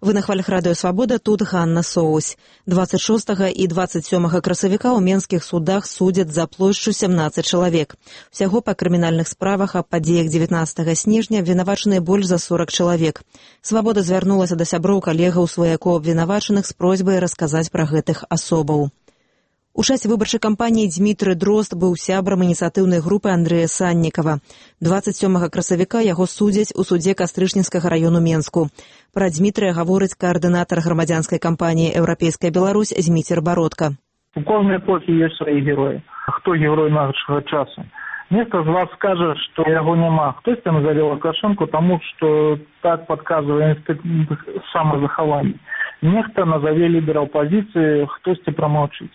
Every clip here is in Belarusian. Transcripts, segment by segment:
Вы на хвалях радыё «Свабода», тут Ганна Соусь. 26 і 27 красавіка ў менскіх судах судзяць за плошчу 17 чалавек. Усяго па крымінальных справах аб падзеях 19 снежня абвінавачаныя больш за 40 чалавек. «Свабода» звярнулася да сяброў, калегаў, сваякоў абвінавачаных з просьбай расказаць пра гэтых асобаў. У часе выбарчай кампаніі Дзмітрый Дрозд быў сябрам ініцыятыўнай групы Андрэя Саннікава. 27 красавіка яго судзяць у судзе Кастрычніцкага раёну Менску. Пра Дзмітрыя гаворыць каардынатар грамадзянскай кампаніі «Еўрапейская Беларусь» Зміцер Бародка. У кожнай эпохі ёсць свае героі. Хто герой нашага часу? Нехта з вас скажа, што яго няма. Хтосьці назаве Лукашэнку, таму што так падказвае інстытут самазахавання. Нехта назаве лідара апазіцыі, хтосьці прамаўчыць.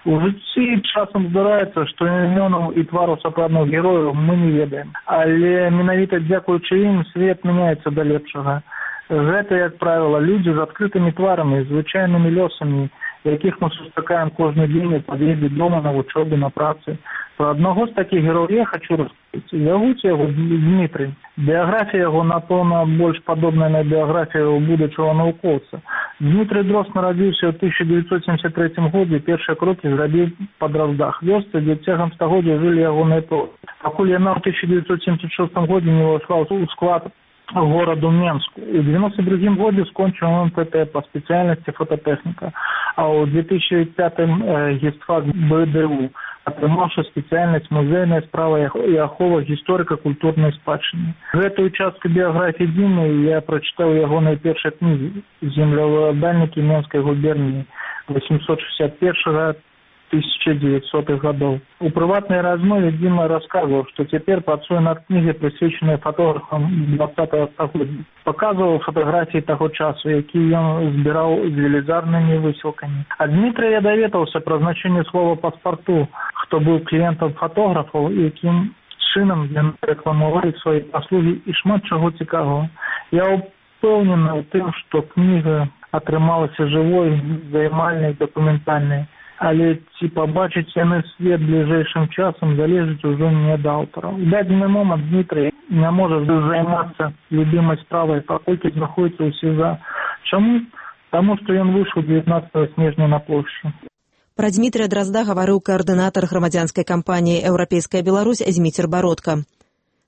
У жыцці часам здараецца, што імёнаў і твараў сапраўдных герояў мы не ведаем. Але менавіта дзякуючы ім свет мяняецца да лепшага. Гэта, як правіла, людзі з адкрытымі тварамі, звычайнымі лёсамі, якіх мы сустракаем кожны дзень у пад'ездзе дома, на вучобе, на працы. Пра аднаго з такіх герояў я хачу расказаць. Ягуць яго Дзмітрый. Біяграфія яго, напэўна, больш падобная на біяграфію будучага навукоўца. Дзмітрый Дрозд нарадзіўся ў 1973 годзе, першыя крокі зрабіў па Дроздах, вёсцы, дзе цягам стагоддзя жылі ягоныя продкі. Пакуль яна ў 1976 годзе не ўвайшла ў склад гораду Менску. У 1992 годзе скончыў МПТ па спецыяльнасці фотатэхніка, а ў 2005 гістфак БДУ, атрымаўшы спецыяльнасць музейная справа і ахова гісторыка-культурнай спадчыны. Гэтую частку біяграфіі Дзімы я прачытаў ягонай першай кнігі «Землеўладальнікі Менскай губерніі» 861-1900 гадоў. У прыватнай размове Дзіма расказваў, што цяпер працуе над кнігай, прысвечанай фотографам 20-го стагоддзя. Паказваў фатаграфіі таго часу, якія ён збіраў з велізарнымі высілкамі. Ад Дмітрыя я даведаўся пра значэнне слова «паспарту», хто быў кліентам фотографаў, якім чынам яны рэкламавалі свае паслугі і шмат чаго цікавага. Я ўпэўнены ў тым, што кніга атрымалася жывой, займальнай, дакументальнай. Але ці пабачыць яны свет бліжэйшым часам залежыць ужо не ад аўтара. У дадзены момант Дмітрый не можа займацца любімай справай, паколькі знаходзіцца ў СІЗА. Чаму? Таму што ён выйшаў 19 снежня на плошчу. Пра Дзмітрыя Дрозда гаварыў каардынатар грамадзянскай кампаніі «Еўрапейская Беларусь» Зміцер Бародка.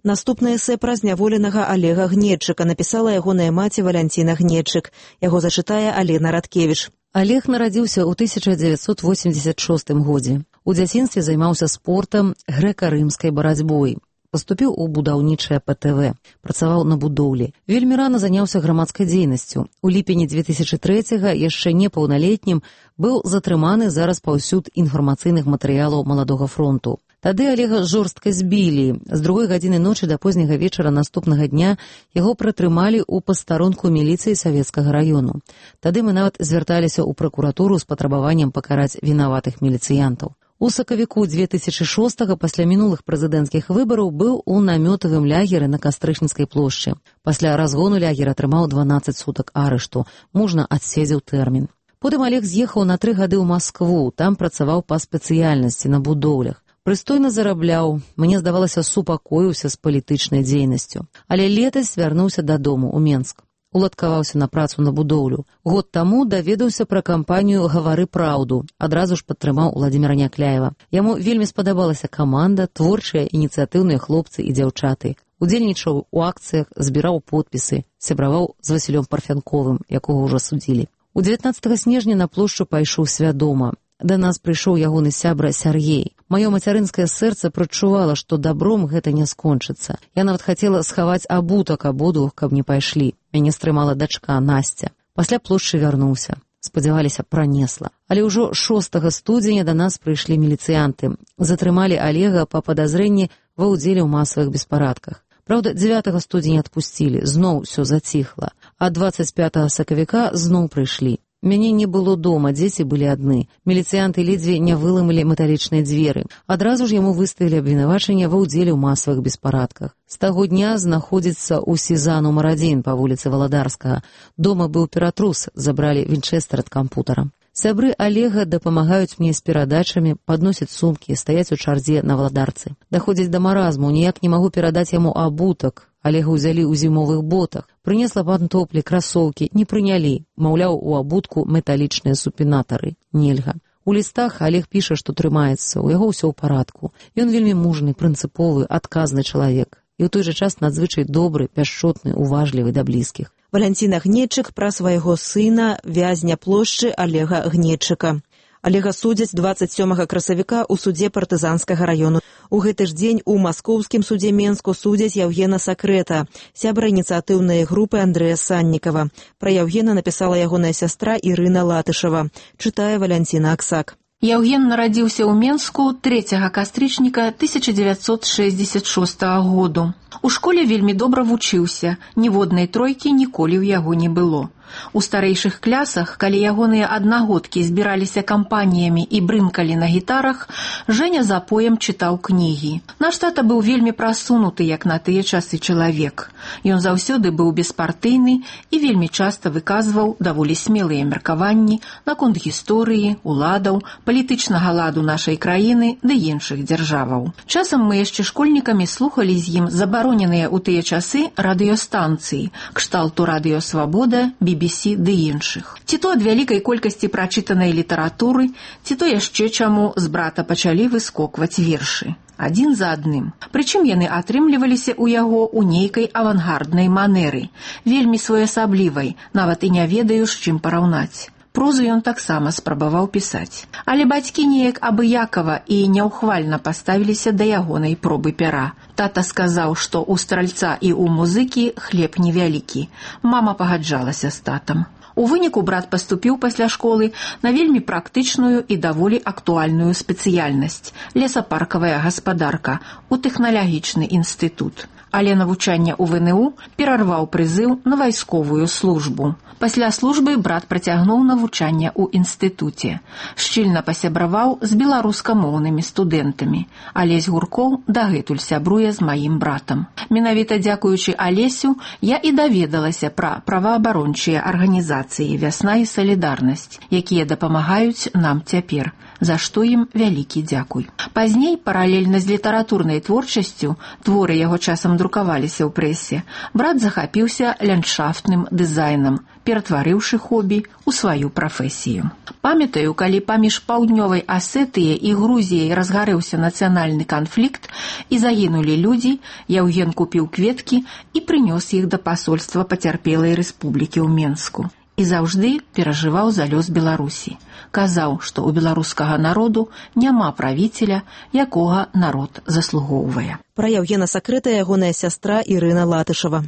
Наступнае эсэ пра зняволенага Алега Гнедчыка напісала ягоная маці Валянціна Гнедчык. Яго зачытае Алена Радкевіч. Алег нарадзіўся ў 1986 годзе. У дзяцінстве займаўся спортам, грэка-рымскай барацьбой. Паступіў у будаўнічае ПТВ. Працаваў на будоўлі. Вельмі рана заняўся грамадскай дзейнасцю. У ліпені 2003-га, яшчэ непаўналетнім, быў затрыманы за распаўсюд інфармацыйных матэрыялаў Маладога фронту. Тады Алега жорстка збілі. З 2 гадзіны ночы да позняга вечара наступнага дня яго прытрымалі ў пастарунку міліцыі Савецкага раёну. Тады мы нават звярталіся ў пракуратуру з патрабаваннем пакараць вінаватых міліцыянтаў. У сакавіку 2006-га пасля мінулых прэзідэнцкіх выбараў быў у намётавым лягеры на Кастрычніцкай плошчы. Пасля разгону лягер атрымаў 12 сутак арышту. Мужна адседзеў тэрмін. Потым Алег з'ехаў на 3 гады ў Маскву. Там працаваў па спецыяльнасці на будоўлях. Прыстойна зарабляў, мне здавалася, супакоіўся з палітычнай дзейнасцю. Але летась вярнуўся дадому ў Менск. Уладкаваўся на працу на будоўлю. Год таму даведаўся пра кампанію «Гавары праўду». Адразу ж падтрымаў Уладзіміра Някляева. Яму вельмі спадабалася каманда, творчыя, ініцыятыўныя хлопцы і дзяўчаты. Удзельнічаў у акцыях, збіраў подпісы, сябраваў з Васілём Парфянковым, якога ўжо судзілі. У 19 снежня на плошчу пайшоў свядома. Да нас прыйшоў ягоны сябра Сяргей. Маё мацярынскае сэрца прачувала, што добром гэта не скончыцца. Я нават хацела схаваць абутак абодвух, каб не пайшлі. Мяне стрымала дачка Насця. Пасля плошчы вярнуўся. Спадзяваліся, пранесла. Але ўжо 6 студзеня да нас прыйшлі міліцыянты. Затрымалі Алега па падазрэнні ва ўдзеле ў масавых беспарадках. Праўда, 9 студзеня адпусцілі, зноў усё заціхла. А 25 сакавіка зноў прыйшлі. Мяне не было дома, дзеці былі адны. Міліцыянты ледзьве не выламалі металічныя дзверы. Адразу ж яму выставілі абвінавачанне ва ўдзеле ў масавых беспарадках. З таго дня знаходзіцца ў СІЗА нумар 1 па вуліцы Валадарскага. Дома быў ператрус, забралі вінчэстэр ад кампутара. Сябры Алега дапамагаюць мне з перадачамі, падносяць сумкі, стаяць у чарзе на Валадарцы. Даходзіць да маразму, ніяк не магу перадаць яму абутак, Алега ўзялі ў зімовых ботах, прынесла пантоплі, красоўкі, не прынялі, маўляў, у абутку металічныя супінатары. Нельга. У лістах Алег піша, што трымаецца, у яго ўсё ў парадку. Ён вельмі мужны, прынцыповы, адказны чалавек. І ў той жа час надзвычай добры, пяшчотны, уважлівы да блізкіх. Валянціна Гнедчык пра свайго сына, вязня плошчы Алега Гнедчыка. Алега судзяць 27 красавіка ў судзе партызанскага раёну. У гэты ж дзень у маскоўскім судзе Менску судзяць Яўгена Сакрэта, сябра ініцыятыўнай групы Андрэя Саннікава. Пра Яўгена напісала ягоная сястра Ірына Латышева. Чытае Валянціна Аксак. Яўген нарадзіўся ў Менску 3 кастрычніка 1966 году. У школе вельмі добра вучыўся, ніводнай тройкі ніколі ў яго не было. У старэйшых клясах, калі ягоныя аднагодкі збіраліся кампаніямі і брымкалі на гітарах, Жэня запоем чытаў кнігі. Наш тата быў вельмі прасунуты, як на тыя часы чалавек. Ён заўсёды быў беспартыйны і вельмі часта выказваў даволі смелыя меркаванні наконт гісторыі, уладаў, палітычнага ладу нашай краіны ды іншых дзяржаваў. Часам мы яшчэ школьнікамі слухалі з ім забароненыя ў тыя часы радыёстанцыі, кшталту Радыё Свабода, BBC ды іншых. Ці то ад вялікай колькасці прачытанай літаратуры, ці то яшчэ чаму з брата пачалі выскокваць вершы. Адзін за адным. Прычым яны атрымліваліся ў яго ў нейкай авангарднай манеры, вельмі своеасаблівай, нават і не ведаю, з чым параўнаць. Прозу ён таксама спрабаваў пісаць. Але бацькі неяк абыякава і няўхвальна паставіліся да ягонай пробы пяра. Тата сказаў, што ў стральца і ў музыкі хлеб невялікі. Мама пагаджалася з татам. У выніку брат паступіў пасля школы на вельмі практычную і даволі актуальную спецыяльнасць – лесапаркавая гаспадарка ў тэхналагічны інстытут. Але навучанне ў ВНУ перарваў прызыў на вайсковую службу. Пасля службы брат працягнуў навучанне ў інстытуце. Шчыльна пасябраваў з беларускамоўнымі студэнтамі. Алесь Гуркоў дагэтуль сябруе з маім братам. Менавіта дзякуючы Алесю я і даведалася пра праваабарончыя арганізацыі «Вясна» і «Салідарнасць», якія дапамагаюць нам цяпер, за што ім вялікі дзякуй. Пазней, паралельна з літаратурнай творчасцю, творы яго часам друкаваліся ў прэсе, брат захапіўся ландшафтным дызайнам, ператварыўшы хобі ў сваю прафесію. Памятаю, калі паміж паўднёвай Асетыяй і Грузіяй разгарэўся нацыянальны канфлікт і загінулі людзі, Яўген купіў кветкі і прынёс іх да пасольства пацярпелай рэспублікі ў Менску. І заўжды перажываў за лёс Беларусі. Казаў, што ў беларускага народу няма правіцеля, якога народ заслугоўвае. Пра Яўгена Сакрэта ягоная сястра Ірына Латышева.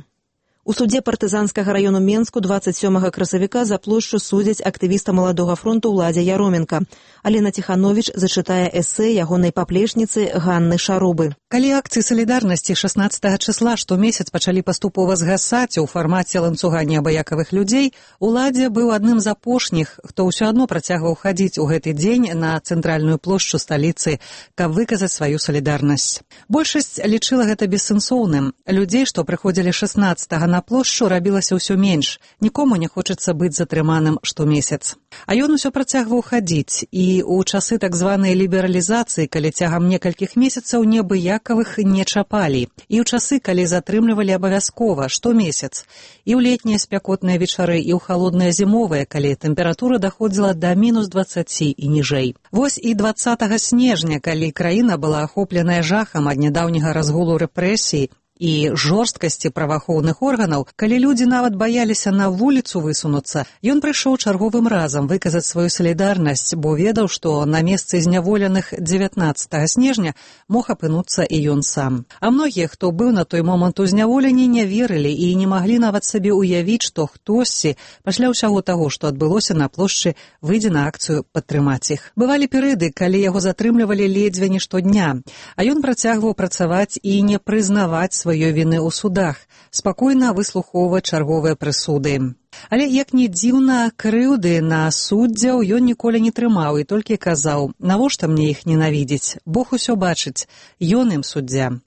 У судзе партызанскага раёну Менску 27 красавіка за плошчу судзяць актывіста маладога фронту Уладзя Яроменка. Алена Ціхановіч зачытае эсэ ягонай паплечніцы Ганны Шарубы. Калі акцыі салідарнасці 16 числа штомесяц пачалі паступова згасаць у фармаце ланцуга неабыякавых людзей, Уладзя быў адным з апошніх, хто ўсё адно працягваў хадзіць у гэты дзень на цэнтральную плошчу сталіцы, каб выказаць сваю салідарнасць. Большасць лічыла гэта бессэнсоўным. Людзей, што прыходзілі 16-го на плошчу, рабілася ўсё менш. Нікому не хочацца быць затрыманым штомесяц. А ён усё працягваў хадзіць, і ў часы так званай лібералізацыі, калі цягам некалькіх месяцаў неабыякавых не чапалі, і ў часы, калі затрымлівалі абавязкова штомесяц, і ў летнія спякотныя вечары, і ў халодныя зімовыя, калі тэмпература даходзіла да -20 і ніжэй. Вось і 20 снежня, калі краіна была ахопленая жахам ад нядаўняга разгулу рэпрэсій і жорсткасці праваахоўных органаў, калі людзі нават баяліся на вуліцу высунуцца, ён прыйшоў чарговым разам выказаць сваю салідарнасць, бо ведаў, што на месцы зняволеных 19 снежня мог апынуцца і ён сам. А многія, хто быў на той момант у зняволенні, не верылі і не маглі нават сабе ўявіць, што хтосьці пасля ўсяго таго, што адбылося на плошчы, выйдзе на акцыю падтрымаць іх. Бывалі перыяды, калі яго затрымлівалі ледзьве не штодня, а ён працягваў працаваць і не прызнаваць сваёй віны ў судах, спакойна выслухоўваць чарговыя прысуды. Але, як ні дзіўна, крыўды на суддзяў ён ніколі не трымаў і толькі казаў: «Навошта мне іх ненавідзець? Бог усё бачыць, ён ім суддзя».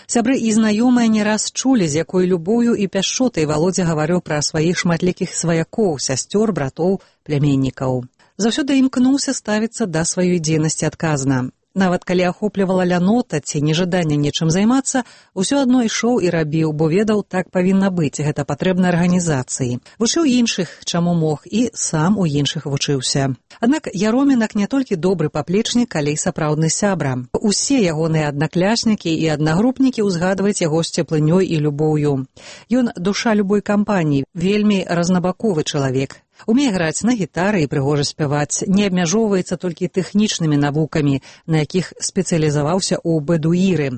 Сябры і знаёмыя не раз чулі, з якой любоўю і пяшчотай Валодзя гаварыў пра сваіх шматлікіх сваякоў, сясцёр, братоў, пляменнікаў. Заўсёды імкнуўся ставіцца да сваёй дзейнасці адказна. Нават калі ахоплівала лянота ці нежаданне нечым займацца, усё адно ішоў і рабіў, бо ведаў, так павінна быць, гэта патрэбна арганізацыі. Вучыў іншых, чаму мог, і сам у іншых вучыўся. Аднак Яромінак не толькі добры паплечнік, але і сапраўдны сябра. Усе ягоныя аднакляснікі і аднагрупнікі ўзгадваюць яго з цеплынёй і любоўю. Ён душа любой кампаніі, вельмі разнабаковы чалавек. Умее граць на гітары і прыгожа спяваць, не абмяжоўваецца толькі тэхнічнымі навукамі, на якіх спецыялізаваўся ў бэдуіры.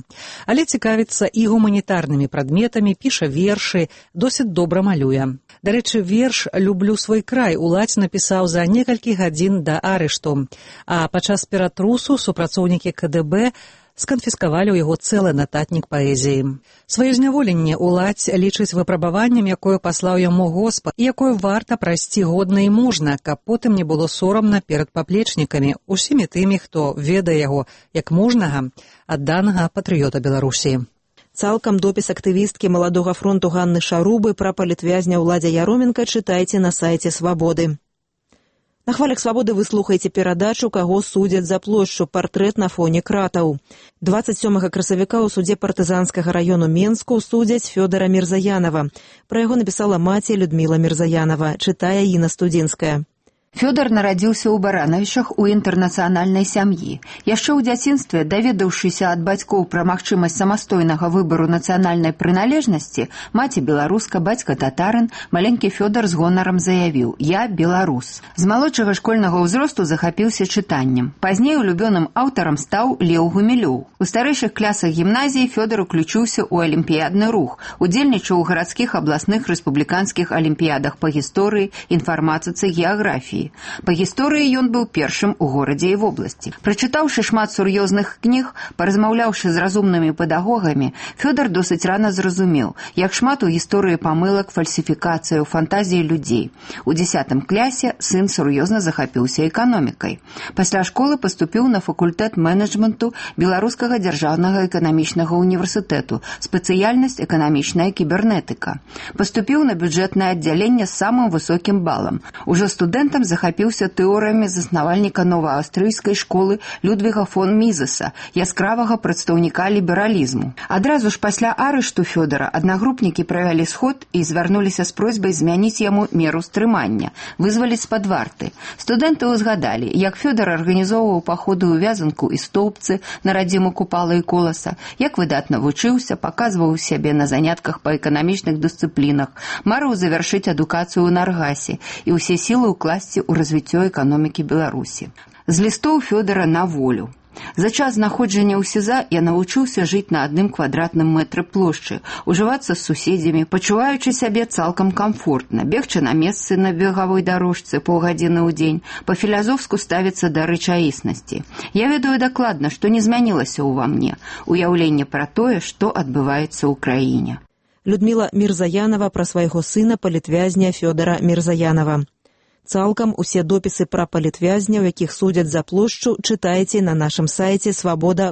Але цікавіцца і гуманітарнымі прадметамі, піша вершы, досыць добра малюе. Дарэчы, верш «Люблю свой край» уладзь напісаў за некалькі гадзін да арышту, а падчас ператрусу супрацоўнікі КДБ сканфіскавалі ў яго цэлы нататнік паэзіі. Сваё зняволенне уладзь лічыць выпрабаваннем, якое паслаў яму Господ, і якое варта прайсці годна і мужна, каб потым не было сорамна перад паплечнікамі, усімі тымі, хто ведае яго як мужнага, адданага патрыёта Беларусі. Цалкам допіс актывісткі Маладога фронту Ганны Шарубы пра палітвязня Уладзя Яроменка чытайце на сайце «Свабоды». На хвалях «Свабоды» вы слухаеце перадачу «Каго судзяць за плошчу. Партрэт на фоне кратаў». 27 красавіка ў судзе партызанскага раёну Менску судзяць Фёдара Мірзаянова. Пра яго напісала маці Людміла Мірзаянова, чытае Інна Студзінская. Фёдор нарадзіўся ў Баранавічах у інтэрнацыянальнай сям'і. Яшчэ ў дзяцінстве, даведаўшыся ад бацькоў пра магчымасць самастойнага выбару нацыянальнай прыналежнасці, маці беларуска, бацька татарын, маленькі Фёдор з гонарам заявіў: «Я беларус». З малодшага школьнага ўзросту захапіўся чытаннем. Пазней улюбёным аўтарам стаў Леў Гумілёў. У старэйшых класах гімназіі Фёдор уключыўся ў алімпіядны рух, удзельнічаў у гарадскіх, абласных, рэспубліканскіх алімпіядах па гісторыі, інфарматыцы, геаграфіі. Па гісторыі ён быў першым у горадзе і вобласці. Прачытаўшы шмат сур'ёзных кніг, паразмаўляўшы з разумнымі педагогамі, Фёдор досыць рана зразумеў, як шмат у гісторыі памылак, фальсіфікацыяў, фантазій людзей. У 10 класе сын сур'ёзна захапіўся эканомікай. Пасля школы паступіў на факультэт менеджменту Беларускага дзяржаўнага эканамічнага універсітэту, спецыяльнасць эканамічная кібернетыка. Паступіў на бюджэтнае аддзяленне з самым высокім балам. Ужо студэнтам захапіўся тэорыямі заснавальніка новааўстрыйскай школы Людвіга фон Мізеса, яскравага прадстаўніка лібералізму. Адразу ж пасля арышту Фёдора аднагрупнікі правялі сход і звярнуліся з просьбай змяніць яму меру стрымання, вызваліць з-пад варты. Студэнты ўзгадалі, як Фёдор арганізоўваў паходы ў Вязанку і Столбцы на радзіму Купала і Коласа, як выдатна вучыўся, паказваў сябе на занятках па эканамічных дысцыплінах, марыў завяршыць адукацыю ў Наргасе і ўсе сілы ўкласці у развіццё эканомікі Беларусі. З лістоў Фёдора на волю. За час знаходжання ў СІЗА я навучыўся жыць на 1 квадратным мэтры плошчы, ужывацца з суседзямі, пачуваючы сябе цалкам камфортна, бегчы на месцы на бегавой дарожцы паўгадзіны ў дзень, па-філазофску ставіцца да рэчаіснасці. Я ведаю дакладна, што не змянілася ўва мне, уяўленне пра тое, што адбываецца ў краіне. Людміла Мірзаянова пра свайго сына палітвязня Фёдара Мірзаянова. Цалкам усе допісы пра палітвязняў, якіх судзяць за плошчу, чытайце на нашым сайце «Свабода.орг».